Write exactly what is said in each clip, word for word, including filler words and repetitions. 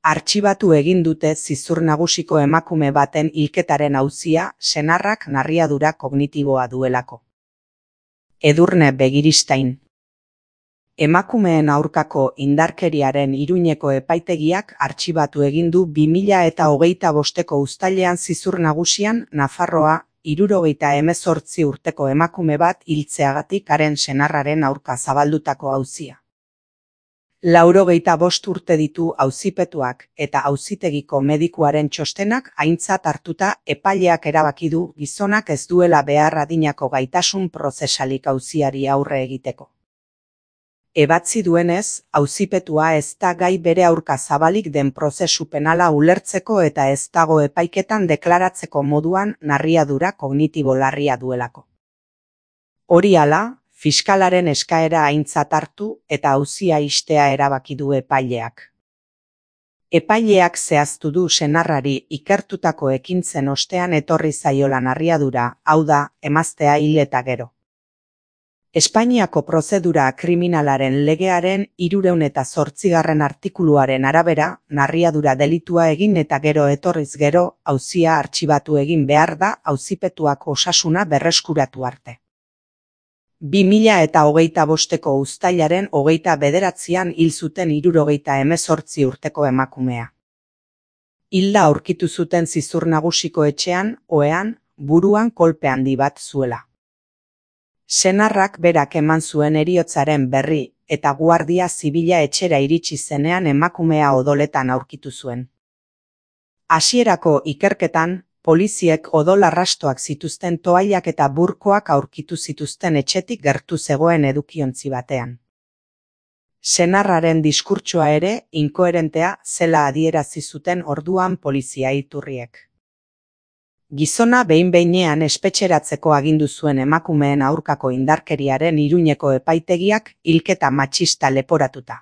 Artxibatu egin dute zizur nagusiko emakume baten hilketaren auzia senarrak narriadura kognitiboa duelako. Edurne Begiristain. Emakumeen aurkako indarkeriaren Iruñeko epaitegiak artxibatu egin du bi mila eta hogeita bosteko uztailean zizur nagusian Nafarroa hirurogeita hemezortzi urteko emakume bat hiltzeagatik haren senarraren aurka zabaldutako auzia. Laurogeita bost urte ditu auzipetuak eta auzitegiko medikuaren txostenak aintzat hartuta epaileak erabaki du gizonak ez duela behar adinako gaitasun prozesalik auziari aurre egiteko. Ebatzi duenez, auzipetua ez da gai bere aurka zabalik den prozesu penala ulertzeko eta ez dago epaiketan deklaratzeko moduan narriadura kognitibo larria duelako. Hori hala, fiskalaren eskaera aintzat hartu eta auzia ixtea erabaki du epaileak. Epaileak zehaztu du senarrari ikertutako ekintzen ostean etorri zaiola narriadura, hau da, emaztea hil eta gero. Espainiako prozedura kriminalaren legearen hirurehun eta zortzigarren artikuluaren arabera, narriadura delitua egin eta gero etorriz gero, auzia artxibatu egin behar da auzipetuak osasuna berreskuratu arte. Bi mila eta hogeita bosteko uztailaren hogeita bederatzian hil zuten hirurogeita hemezortzi urteko emakumea. Hilda aurkitu zuten zizur nagusiko etxean, ohean, buruan kolpe handi bat zuela. Senarrak berak eman zuen heriotzaren berri eta guardia zibila etxera iritsi zenean emakumea odoletan aurkitu zuen. Hasierako ikerketan, poliziek odol arrastoak zituzten toallak eta burkoak aurkitu zituzten etxetik gertu zegoen edukiontzi batean. Senarraren diskurtsoa ere inkoherentea zela adierazi zuten orduan polizia iturriek. Gizona behin-behinean espetxeratzeko agindu zuen emakumeen aurkako indarkeriaren Iruñeko epaitegiak hilketa matxista leporatuta.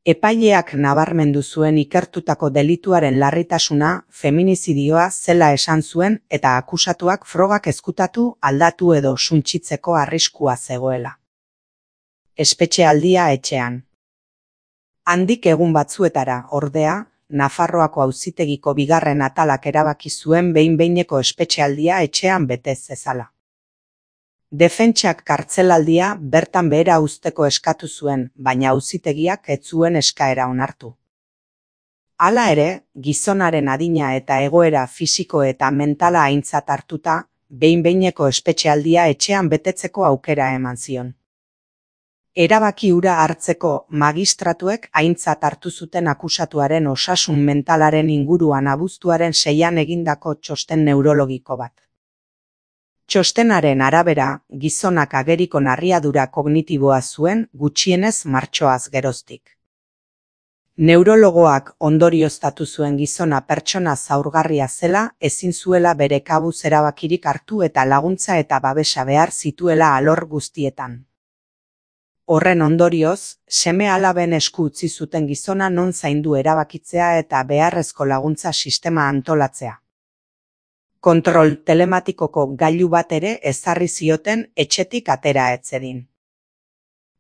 Epaileak nabarmendu zuen ikertutako delituaren larritasuna feminizidioa zela esan zuen eta akusatuak frogak ezkutatu, aldatu edo suntsitzeko arriskua zegoela. Espetxealdia etxean. Handik egun batzuetara, ordea, Nafarroako auzitegiko bigarren atalak erabaki zuen behin-behineko espetxealdia etxean betez zezala. Defentsak kartzelaldia bertan behera uzteko eskatu zuen, baina auzitegiak ez zuen eskaera onartu. Hala ere, gizonaren adina eta egoera fisiko eta mentala aintzat hartuta, behin-behineko espetxealdia etxean betetzeko aukera eman zion. Erabaki hura hartzeko magistratuek aintzat hartu zuten akusatuaren osasun mentalaren inguruan abuztuaren seian egindako txosten neurologiko bat. Txostenaren arabera, gizonak ageriko narriadura kognitiboa zuen gutxienez martxoaz geroztik. Neurologoak ondorioztatu zuen gizona pertsona zaurgarria zela, ezin zuela bere kabuz erabakirik hartu eta laguntza eta babesa behar zituela alor guztietan. Horren ondorioz, seme-alaben esku utzi zuten gizona non zaindu erabakitzea eta beharrezko laguntza sistema antolatzea. Kontrol telematikoko gailu bat ere ezarri zioten etxetik atera ez zedin.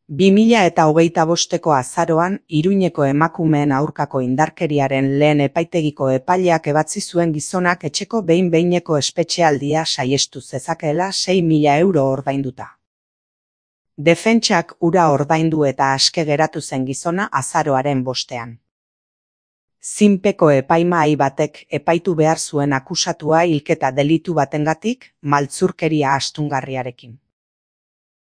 Bi mila eta hogeita bosteko azaroan, Iruñeko emakumeen aurkako indarkeriaren lehen epaitegiko epaileak ebatzi zuen gizonak etxeko behin-behineko espetxealdia saihestu zezakeela sei mila euro ordainduta. Defentsak ura ordaindu eta aske geratu zen gizona azaroaren bostean. Zinpeko epaimahai batek epaitu behar zuen akusatua hilketa delitu batengatik maltzurkeria astungarriarekin.